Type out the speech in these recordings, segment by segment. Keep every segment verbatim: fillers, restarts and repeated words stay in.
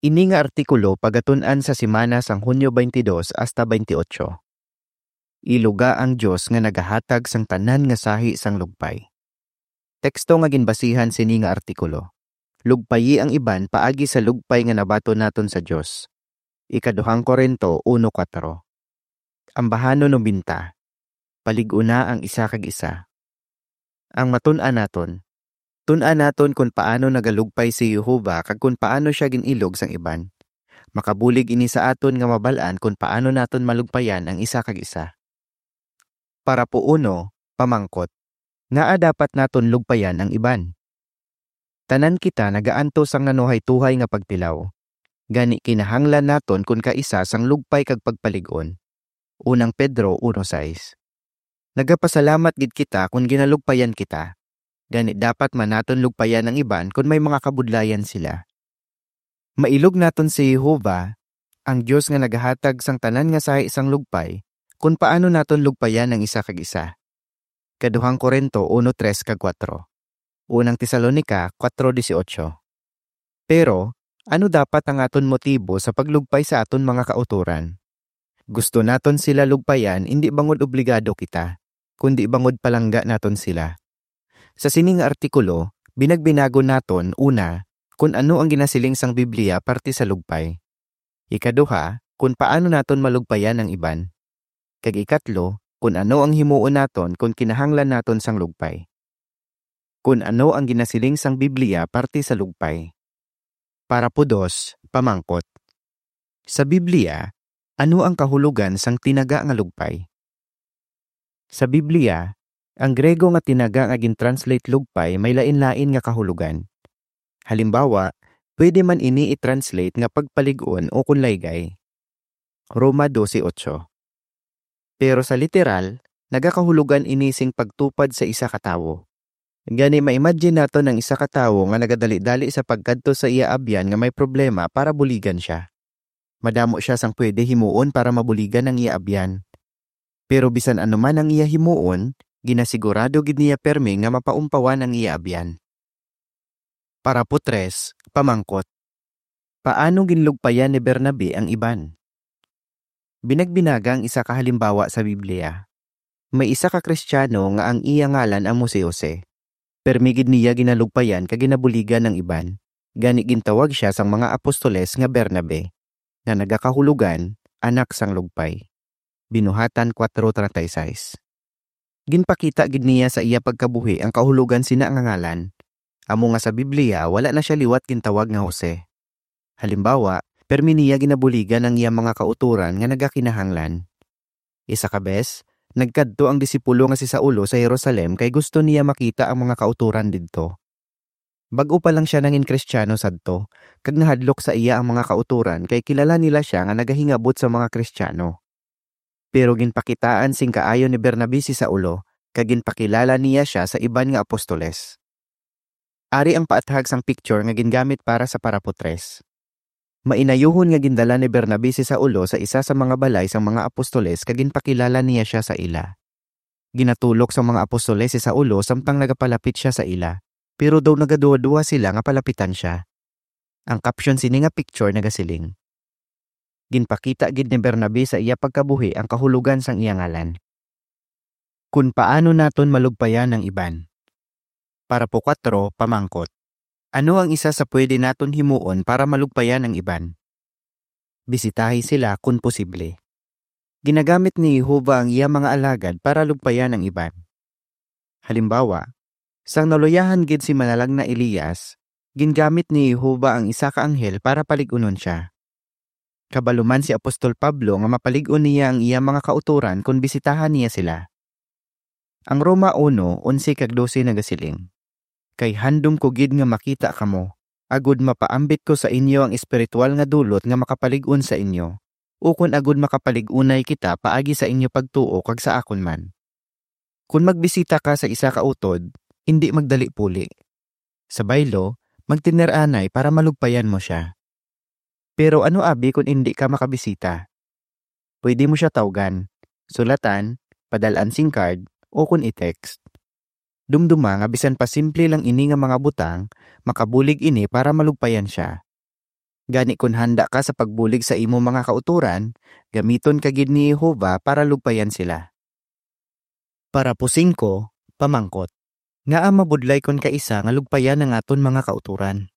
Ini nga artikulo pagatun-an sa semana sang Hunyo twenty-two hasta twenty-eight. Iluga ang Dios nga nagahatag sang tanan nga sahi sang lugpay. Teksto nga ginbasihan sini nga artikulo: Lugpayi ang iban paagi sa lugpay nga nabaton naton sa Dios. Ikaduhang Corinto uno kuwatro. Ambahanon nobenta. Palig-una ang isa kag isa. Ang matun-an naton. Tun-an naton kon paano nagalugpay si Jehovah kag kon paano siya gin-ilog sang iban. Makabulig ini sa aton nga mabal-an kon paano naton malugpayan ang isa kag isa. Parapo uno, pamangkot: Ngaa dapat naton lugpayan ang iban? Tanan kita nagaantos sang nanuhaytohay nga pagtilaw. Gani, kinahanglan naton kon kaisa sang lugpay kag pagpalig-on. Unang Pedro uno sais. Nagapasalamat gid kita kon ginalugpayan kita. Gani, dapat man naton lugpayan ang iban kon may mga kabudlayan sila. Mailog naton si Jehovah, ang Dios nga nagahatag sang tanan nga sahi sang lugpay, kon paano naton lugpayan ang isa kag isa. Kaduhang Corinto uno tres kag kuwatro. Unang Tesalonica kuwatro dieciocho. Pero, ano dapat ang aton motibo sa paglugpay sa aton mga kautoran? Gusto naton sila lugpayan, indi bangod obligado kita, kundi bangod palangga naton sila. Sa sini nga artikulo, binagbinagon naton, una, kon ano ang ginasiling sang Biblia parte sa lugpay. Ikaduha, kon paano naton malugpayan ang iban. Kag ikatlo, kon ano ang himuon naton kon kinahanglan naton sang lugpay. Kon ano ang ginasiling sang Biblia parte sa lugpay. Parapo dos, pamangkot: Sa Biblia, ano ang kahulogan sang tinaga nga lugpay? Sa Biblia, ang Grego nga tinaga nga gin-translate lugpay may lain-lain nga kahulogan. Halimbawa, pwede man ini i-translate nga pagpalig-on o kon laygay. Roma dose ocho. Pero sa literal, nagakahulogan ini sing pagtupad sa isa ka tawo. Gani, ma-imagine naton ang isa ka tawo nga nagadali-dali sa pagkadto sa iya abyan nga may problema para buligan sia. Madamo sia sang pwede himuon para mabuligan ang iya abyan. Pero bisan ano man ang iya himuon, ginasigurado gid niya permi nga mapaumpawan ang iya abyan. Parapo tres, pamangkot: Paano ginlugpayan ni Bernabe ang iban? Binagbinaga ang isa ka halimbawa sa Biblia. May isa ka Kristiyano nga ang iya ngalan amo si Jose. Permi gid niya ginalugpayan kag ginabuligan ang iban. Gani, gintawag sia sang mga apostoles nga Bernabe, nga nagakahulogan, anak sang lugpay. Binuhatan kuwatro treinta y seis. Ginpakita gid niya sa iya pagkabuhi ang kahulogan sina nga ngalan, amo nga sa Biblia wala na sia liwat gintawag nga Jose. Halimbawa, permi niya ginabuligan ang iya mga kautoran nga nagakinahanglan. Isa ka bes, nagkadto ang disipulo nga si Saulo sa Jerusalem kay gusto niya makita ang mga kautoran didto. Bag-o pa lang sia nangin Kristiyano sadto, kag nahadlok sa iya ang mga kautoran kay kilala nila sia nga nagahingabot sa mga Kristiyano. Pero ginpakitaan sing kaayo ni Bernabe si Saulo, kag ginpakilala niya sia sa iban nga apostoles. Ari ang paathag sang picture nga gingamit para sa parapo tres. Mainayuhon nga gindala ni Bernabe si Saulo sa isa sa mga balay sang mga apostoles kag ginpakilala niya sia sa ila. Ginatulok sang mga apostoles si Saulo samtang nagapalapit sia sa ila, pero daw nagaduhaduha sila nga palapitan sia. Ang caption sini nga picture nagasiling: Ginpakita gid ni Bernabe sa iya pagkabuhi ang kahulogan sang iya ngalan. Kon paano naton malugpayan ang iban. Parapo kuwatro, pamangkot: Ano ang isa sa pwede naton himuon para malugpayan ang iban? Bisitahi sila kon posible. Ginagamit ni Jehovah ang iya mga alagad para lugpayan ang iban. Halimbawa, sang naluyahan gid si manalagna Elias, gingamit ni Jehovah ang isa ka anghel para palig-unon sia. Kabalo man si Apostol Pablo nga mapalig-on niya ang iya mga kautoran kon bisitahan niya sila. Ang Roma uno, onse kag dose nagasiling: Kay handom ko gid nga makita kamo, agod mapaambit ko sa inyo ang espiritual nga dulot nga makapalig-on sa inyo, ukon agod makapalig-unay kita paagi sa inyo pagtuo kag sa akon man. Kon magbisita ka sa isa ka utod, indi magdali puli. Sa baylo, magtener anay para malugpayan mo sia. Pero ano abi kon indi ka makabisita? Pwede mo sia tawgan, sulatan, padal-an sing card, o kon i-text. Dumduma nga bisan pa simple lang ini nga mga butang, makabulig ini para malugpayan sia. Gani, kon handa ka sa pagbulig sa imo mga kautoran, gamiton ka gid ni Jehovah para lugpayan sila. Parapo singko, pamangkot. Ngaa mabudlay kon kaisa nga lugpayan ang aton mga kautoran?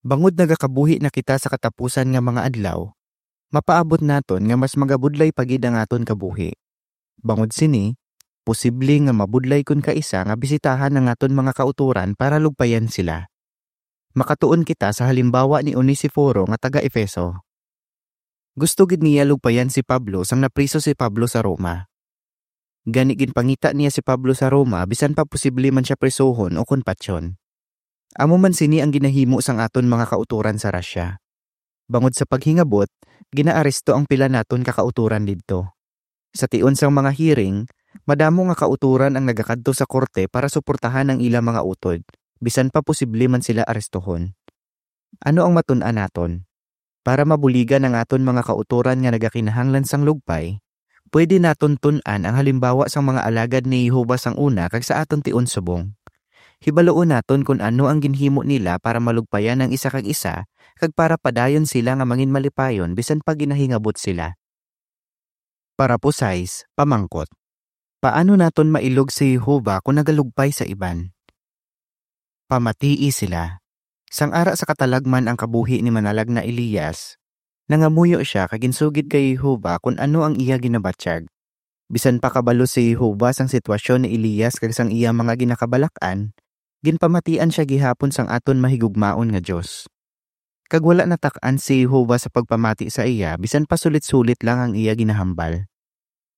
Bangod nagakabuhi na kita sa katapusan nga mga adlaw, mapaabot naton nga mas magabudlay pa gid ang aton kabuhi. Bangod sini, posible nga mabudlay kon kaisa nga bisitahan ang aton mga kautoran para lugpayan sila. Makatuon kita sa halimbawa ni Onesiforo nga taga-Efeso. Gusto gid niya lugpayan si Pablo sang napriso si Pablo sa Roma. Gani, ginpangita niya si Pablo sa Roma, bisan pa posible man sia prisuhon o kon patyon. Amo man sini ang ginahimo sang aton mga kautoran sa Russia. Bangod sa paghingabot, ginaaresto ang pila naton ka kautoran didto. Sa tion sang mga hearing, madamo nga kautoran ang nagakadto sa korte para suportahan ang ila mga utod, bisan pa posible man sila arestohon. Ano ang matun-an naton? Para mabuligan ang aton mga kautoran nga nagakinahanglan sang lugpay, pwede naton tun-an ang halimbawa sang mga alagad ni Jehovah sang una kag sa aton tion subong. Hibaluon naton kon ano ang ginhimo nila para malugpayan ang isa kag isa kag para padayon sila nga manginmalipayon bisan pa ginahingabot sila. Parapo sais, pamangkot. Paano naton mailog si Jehovah kon nagalugpay sa iban? Pamatii sila. Sang ara sa katalagman ang kabuhi ni manalagna Elias, nangamuyo sia kag ginsugid kay Jehovah kon ano ang iya ginabatyag. Bisan pa kabalo si Jehovah sang sitwasyon ni Elias kag sang iya mga ginakabalak-an, ginpamatian sia gihapon sang aton mahigugmaon nga Dios. Kag wala natak-an si Jehovah sa pagpamati sa iya, bisan pa sulit-sulit lang ang iya ginahambal.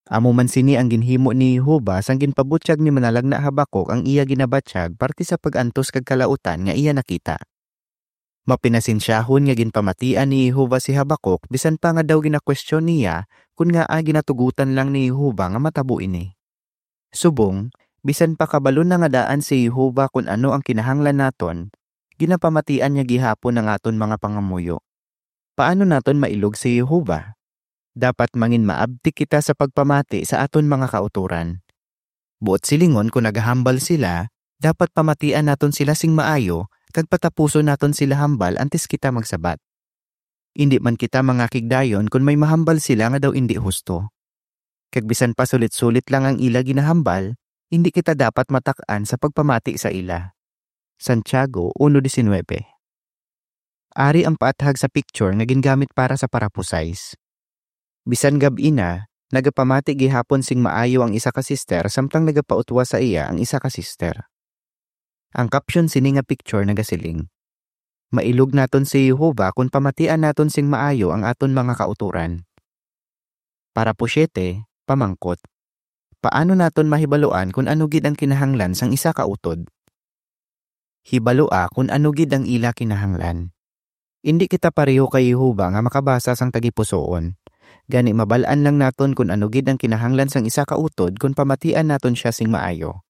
Amo man sini ang ginhimo ni Jehovah sang ginpabutyag ni manalagna Habacuc ang iya ginabatyag parte sa pag-antos kag kalautan nga iya nakita. Mapinasensyahon nga ginpamatian ni Jehovah si Habacuc, bisan pa nga daw ginakwestiyon niya kon ngaa ginatugutan lang ni Jehovah nga matabo ini. Subong, bisan pa kabalo na nga daan si Jehovah kon ano ang kinahanglan naton, ginapamatian niya gihapon ang aton mga pangamuyo. Paano naton mailog si Jehovah? Dapat manginmaabtik kita sa pagpamati sa aton mga kautoran. Buot silingon, kon nagahambal sila, dapat pamatian naton sila sing maayo kag patapuson naton sila hambal antes kita magsabat. Indi man kita mangakig dayon kon may mahambal sila nga daw indi husto. Kag bisan pa sulit-sulit lang ang ila ginahambal, indi kita dapat matak-an sa pagpamati sa ila. Santiago uno diecinueve. Ari ang paathag sa picture nga gingamit para sa parapo sais. Bisan gab-i na, nagapamati gihapon sing maayo ang isa ka sister samtang nagapautwa sa iya ang isa ka sister. Ang caption sini nga picture nagasiling, "Mailog naton si Jehovah kon pamatian naton sing maayo ang aton mga kautoran." Parapo siete, pamangkot. Paano naton mahibaluan kon ano gid ang kinahanglan sang isa ka utod? Hibalua kon ano gid ang ila kinahanglan. Indi kita pareho kay Jehovah nga makabasa sang tagipusoon. Gani, mabal-an lang naton kon ano gid ang kinahanglan sang isa ka utod kon pamatian naton sia sing maayo.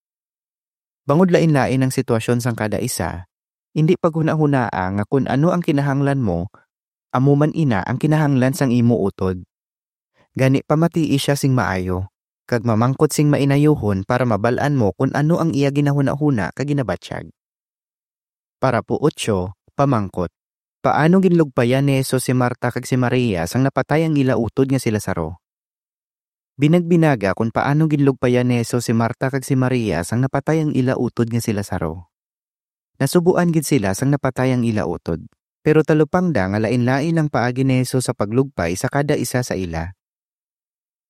Bangod lain-lain ang sitwasyon sang kada isa, indi paghunahunaa nga kon ano ang kinahanglan mo, amo man ina ang kinahanglan sang imo utod. Gani, pamatii sia sing maayo, kag mamangkot sing mainayuhon para mabal-an mo kon ano ang iya ginahunahuna kag ginabatyag. Parapo otso, pamangkot. Paano ginlugpayan ni Jesus si Marta kag si Maria sang napatay ang ila utod nga si Lazaro? Binagbinaga kon paano ginlugpayan ni Jesus si Marta kag si Maria sang napatay ang ila utod nga si Lazaro. Nasubuan gid sila sang napatay ang ila utod, pero talupangda nga lain-lain ang paagi ni Jesus sa paglugpay sa kada isa sa ila.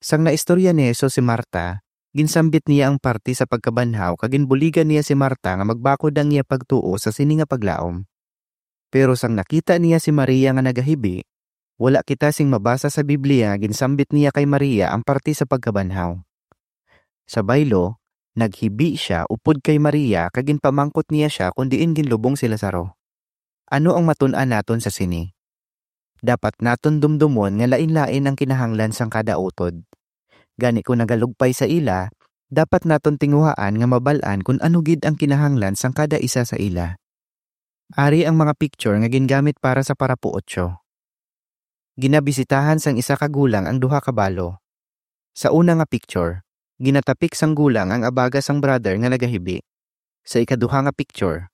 Sang naistorya ni Jesus si Marta, ginsambit niya ang parti sa pagkabanhaw kag ginbuligan niya si Marta nga magbakod ang iya pagtuo sa sini nga paglaom. Pero sang nakita niya si Maria nga nagahibi, wala kita sing mabasa sa Biblia nga ginsambit niya kay Maria ang parti sa pagkabanhaw. Sa baylo, naghibi sia upod kay Maria kag ginpamangkot niya sia kon diin ginlubong si Lazaro. Ano ang matun-an naton sa sini? Dapat naton dumdumon nga lain-lain ang kinahanglan sang kada utod. Gani, kon nagalugpay sa ila, dapat naton tinguhaan nga mabal-an kon ano gid ang kinahanglan sang kada isa sa ila. Ari ang mga picture nga gingamit para sa parapo otso. Ginabisitahan sang isa ka gulang ang duha ka balo. Sa una nga picture, ginatapik sang gulang ang abaga sang brother nga nagahibi. Sa ikaduha nga picture,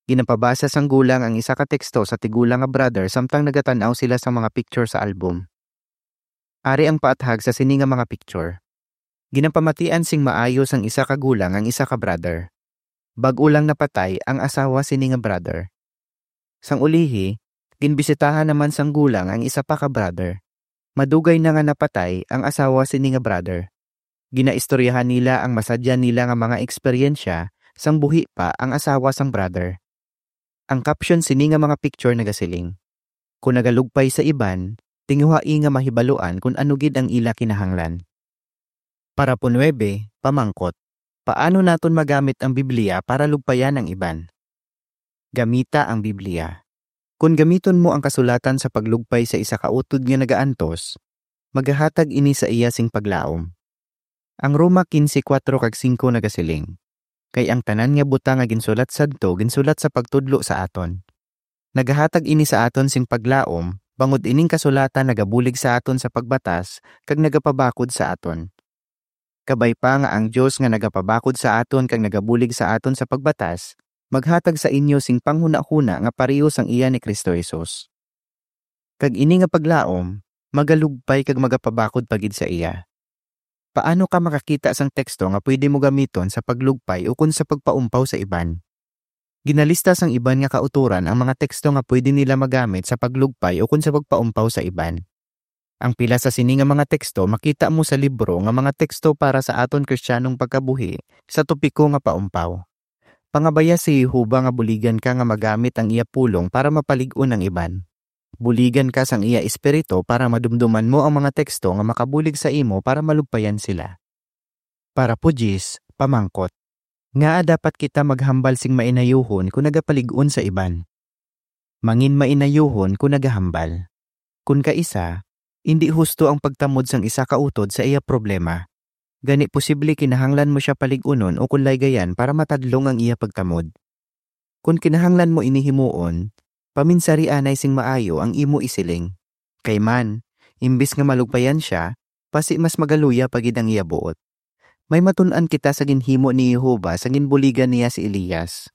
Ginapabasa sang gulang ang isa ka teksto sa tigulang nga brother samtang nagatan-aw sila sa mga picture sa album. Ari ang paathag sa sini nga mga picture. Ginapamatian sing maayo sang isa ka gulang ang isa ka brother. Bag-o lang napatay ang asawa sini nga brother. Sang ulihi, ginbisitahan naman sang gulang ang isa pa ka brother. Madugay na nga napatay ang asawa sini nga brother. Ginaistoryahan nila ang masadya nila nga mga eksperyensya sang buhi pa ang asawa sang brother. Ang caption sini nga mga picture nagasiling, "Kon nagalugpay sa iban, tinguhai nga mahibaluan kon ano gid ang ila kinahanglan." Parapo nuebe, pamangkot, paano naton magamit ang Biblia para lugpayan ang iban? Gamita ang Biblia. Kon gamiton mo ang kasulatan sa paglugpay sa isa ka utod nga nagaantos, magahatag ini sa iya sing paglaom. Ang Roma quince, kuwatro kag singko nagasiling, "Kay ang tanan nga butang nga ginsulat sadto, ginsulat sa pagtudlo sa aton." Nagahatag ini sa aton sing paglaom, bangod ining kasulatan nagabulig sa aton sa pagbatas kag nagapabakod sa aton. Kabay pa nga ang Dios nga nagapabakod sa aton kag nagabulig sa aton sa pagbatas, maghatag sa inyo sing panghunahuna nga pareho sang iya ni Cristo Jesus. Kag ini nga paglaom, magalugpay kag magapabakod pa gid sa iya. Paano ka makakita sang teksto nga pwede mo gamiton sa paglugpay ukon sa pagpaumpaw sa iban? Ginalista sang iban nga kautoran ang mga teksto nga pwede nila magamit sa paglugpay ukon sa pagpaumpaw sa iban. Ang pila sa sini nga mga teksto makita mo sa libro nga Mga Teksto para sa Aton Kristiyanong Pagkabuhi, sa topiko nga Paumpaw. Pangabaya si Jehovah nga buligan ka nga magamit ang iya pulong para mapalig-on ang iban. Buligan ka sang iya Espiritu para madumduman mo ang mga teksto nga makabulig sa imo para malugpayan sila. Parapo diyes, pamangkot, ngaa dapat kita maghambal sing mainayuhon kon nagapalig-on sa iban? Mangin mainayuhon kon nagahambal. Kon kaisa, indi husto ang pagtamod sang isa ka utod sa iya problema. Gani, posible kinahanglan mo sia palig-unon o kon laygayan para matadlong ang iya pagtamod. Kon kinahanglan mo ini himuon, paminsari anay sing maayo ang imo isiling. Kay man, imbis nga malugpayan sia, pasi mas magaluya pa gid ang iya buot. May matun-an kita sa ginhimo ni Jehovah sa ginbuligan niya si Elias.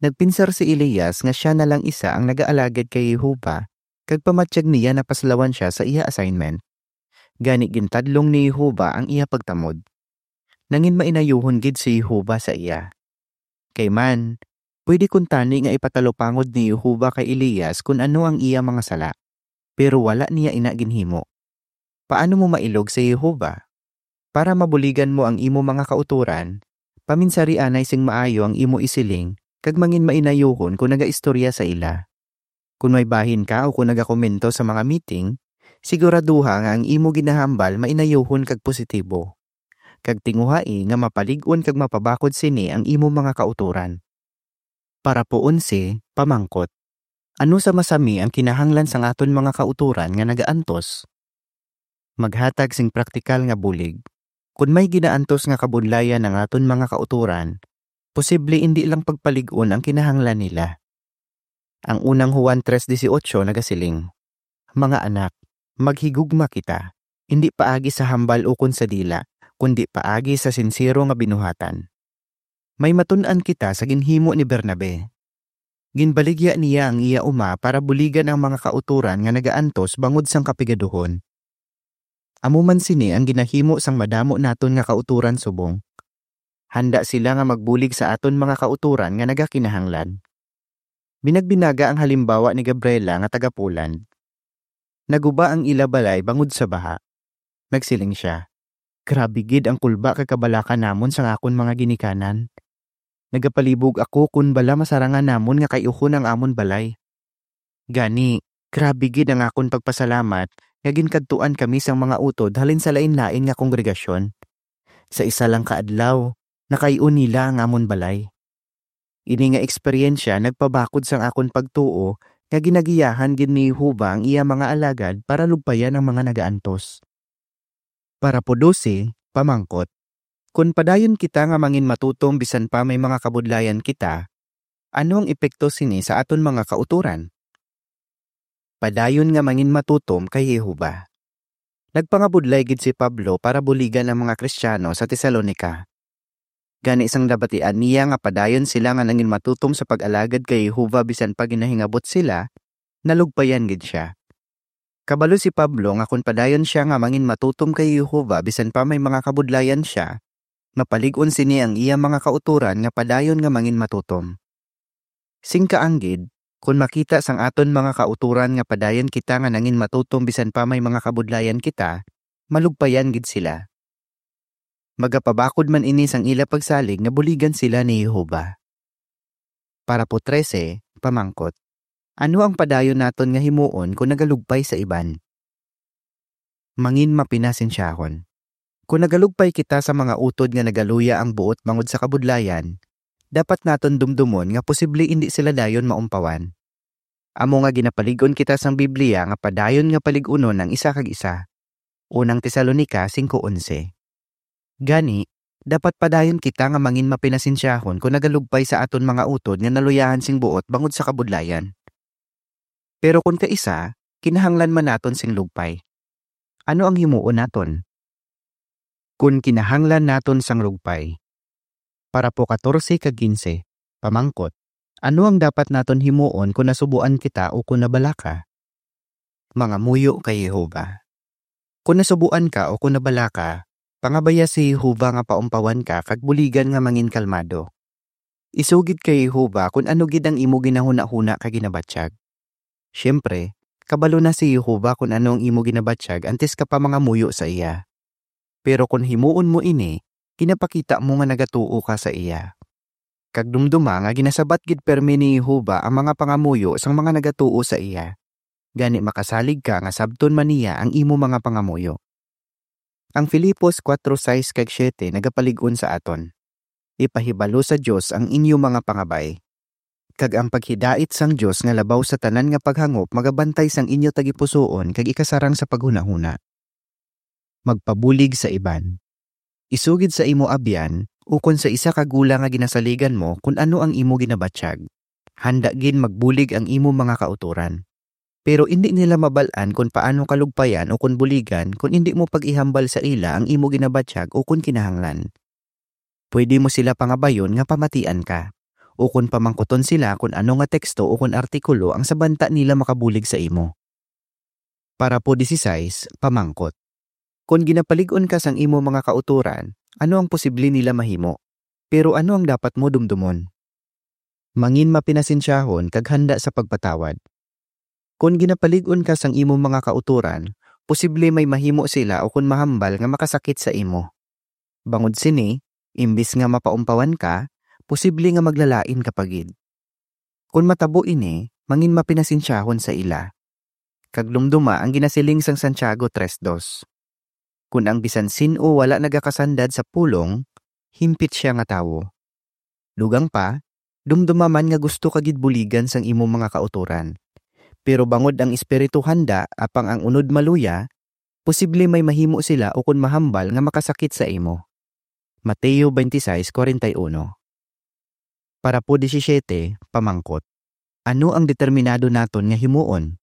Nagpinsar si Elias nga sia na lang isa ang nagaalagad kay Jehovah, kag pamatyag niya napaslawan sia sa iya assignment. Gani, gintadlong ni Jehovah ang iya pagtamod. Nangin mainayuhon gid si Jehovah sa iya. Kay man, pwede kuntani nga ipatalupangod ni Jehovah kay Elias kon ano ang iya mga sala, pero wala niya ina ginhimo. Paano mo mailog si Jehovah? Para mabuligan mo ang imo mga kautoran, paminsari anay sing maayo ang imo isiling, kag mangin mainayuhon kon nagaistorya sa ila. Kon may bahin ka o kon nagakomento sa mga meeting, siguraduha nga ang imo ginahambal mainayuhon kag positibo, kag tinguhai nga mapalig-on kag mapabakod sini ang imo mga kautoran. Parapo onse, pamangkot, ano sa masami ang kinahanglan sang aton mga kautoran nga nagaantos? Maghatag sing praktikal nga bulig. Kon may ginaantos nga kabudlayan ang aton mga kautoran, posible indi lang pagpalig-on ang kinahanglan nila. Ang unang Juan tres dieciocho nagasiling, "Mga anak, maghigugma kita, indi paagi sa hambal ukon sa dila, kundi paagi sa sinsero nga binuhatan." May matun-an kita sa ginhimo ni Bernabe. Ginbaligya niya ang iya uma para buligan ang mga kautoran nga nagaantos bangod sang kapigaduhon. Amo man sini ang ginahimo sang madamo naton nga kautoran subong. Handa sila nga magbulig sa aton mga kautoran nga nagakinahanglan. Binagbinaga ang halimbawa ni Gabriela nga taga-Poland. Naguba ang ila balay bangod sa baha. Nagsiling sia, "Grabe gid ang kulba kag kabalaka namon sang akon mga ginikanan. Nagapalibog ako kon bala masarangan namon nga kay-uhon ang amon balay. Gani, grabe gid ang akon pagpasalamat nga ginkadtuan kami sang mga utod halin sa lain-lain nga kongregasyon. Sa isa lang ka adlaw, nakay-on nila ang amon balay." Ini nga eksperyensya nagpabakod sang akon pagtuo nga ginagiyahan gid ni Jehovah ang iya mga alagad para lugpayan ang mga nagaantos. Parapo dose, pamangkot, kon padayon kita nga mangin matutom bisan pa may mga kabudlayan kita, ano ang epekto sini sa aton mga kautoran? Padayon nga mangin matutom kay Jehovah. Nagpangabudlay gid si Pablo para buligan ang mga Kristiano sa Tesalonica. Gani, sang nabatian niya nga padayon sila nga nanginmatutom sa pag-alagad kay Jehovah bisan pa ginahingabot sila, nalugpayan gid sia. Kabalo si Pablo nga kon padayon sia nga manginmatutom kay Jehovah bisan pa may mga kabudlayan sia, mapalig-on sini ang iya mga kautoran nga padayon nga manginmatutom. Sing kaanggid, kon makita sang aton mga kautoran nga padayon kita nga nanginmatutom bisan pa may mga kabudlayan kita, malugpayan gid sila. Magapabakod man ini sang ila pagsalig nga buligan sila ni Jehovah. Parapo trese, pamangkot: Ano ang padayon naton nga himuon kon nagalugpay sa iban? Manginmapinasensyahon. Kon nagalugpay kita sa mga utod nga nagaluya ang buot bangod sa kabudlayan, dapat naton dumdumon nga posible indi sila dayon maumpawan. Amo nga ginapalig-on kita sang Biblia nga padayon nga palig-unon ang isa kag isa. Unang Tesalonica singko onse. Gani, dapat padayon kita nga manginmapinasensyahon kon nagalugpay sa aton mga utod nga naluyahan sing buot bangod sa kabudlayan. Pero kon kaisa, kinahanglan man naton sing lugpay, ano ang himuon naton? Kon kinahanglan naton sang lugpay. Parapo katorse kag kinse, pamangkot: Ano ang dapat naton himuon kon nasubuan kita o kon nabalaka? Mangamuyo kay Jehovah. Kon nasubuan ka o kon nabalaka, pangabaya si Jehovah nga paumpawan ka kag buligan nga manginkalmado. Isugid kay Jehovah kon ano gid ang imo ginahunahuna kag ginabatyag. Siyempre, kabalo na si Jehovah kon ano ang imo ginabatyag antes ka pa mangamuyo sa iya. Pero kon himuon mo ini, ginapakita mo nga nagatuo ka sa iya. Kag dumduma nga ginasabat gid pirme ni Jehovah ang mga pangamuyo sang mga nagatuo sa iya. Gani, makasalig ka nga sabton man niya ang imo mga pangamuyo. Ang Filipos kuwatro sais kag siyete nagapalig-on sa aton: Ipahibalo sa Dios ang inyo mga pangabay, kag ang paghidait sang Dios nga labaw sa tanan nga paghangop magabantay sang inyo tagipusoon kag ikasarang sa paghunahuna. Magpabulig sa iban. Isugid sa imo abyan ukon sa isa ka gulang nga ginasaligan mo kon ano ang imo ginabatyag. Handa gid magbulig ang imo mga kautoran. Pero indi nila mabal-an kon paano ka lugpayan o kon buligan kon indi mo pag-ihambal sa ila ang imo ginabatyag o kon kinahanglan. Pwede mo sila pangabayon nga pamatian ka, o kon pamangkuton sila kon ano nga teksto o kon artikulo ang sa banta nila makabulig sa imo. Parapo disisais, pamangkot: Kon ginapalig-on ka sang imo mga kautoran, ano ang posible nila mahimo? Pero ano ang dapat mo dumdumon? Manginmapinasensyahon kag handa sa pagpatawad. Kon ginapalig-on ka sang imo mga kautoran, posible may mahimo sila ukon mahambal nga makasakit sa imo. Bangod sini, imbis nga mapaumpawan ka, posible nga maglalain ka pa gid. Kon matabo ini, manginmapinasensyahon sa ila. Kag dumduma ang ginasiling sang Santiago tres dos: Kon ang bisan sin-o wala nagakasandad sa pulong, himpit sia nga tawo. Dugang pa, dumduma man nga gusto ka gid buligan sang imo mga kautoran. Pero bangod ang espiritu handa apang ang unod maluya, posible may mahimo sila ukon mahambal nga makasakit sa imo. Mateo twenty-six forty-one. Parapo disisiete, pamangkot: Ano ang determinado naton nga himuon?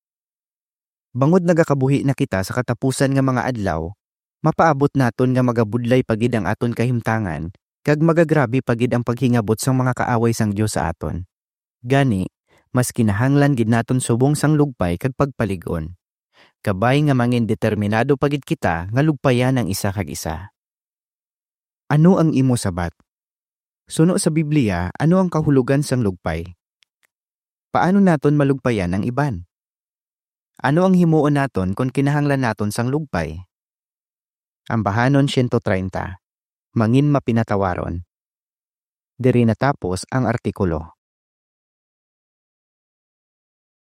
Bangod nagakabuhi na kita sa katapusan nga mga adlaw, mapaabot naton nga magabudlay pa gid ang aton kahimtangan kag magagrabe pa gid ang paghingabot sang mga kaaway sang Dios sa aton. Gani, mas kinahanglan gid naton subong sang lugpay kag pagpalig-on. Kabay nga mangindeterminado pa gid kita nga lugpayan ang isa kag isa. Ano ang imo sabat? Suno sa Biblia, ano ang kahulogan sang lugpay? Paano naton malugpayan ang iban? Ano ang himuon naton kon kinahanglan naton sang lugpay? Ambahanon siyento treinta. Manginmapinatawaron. Diri natapos ang artikulo.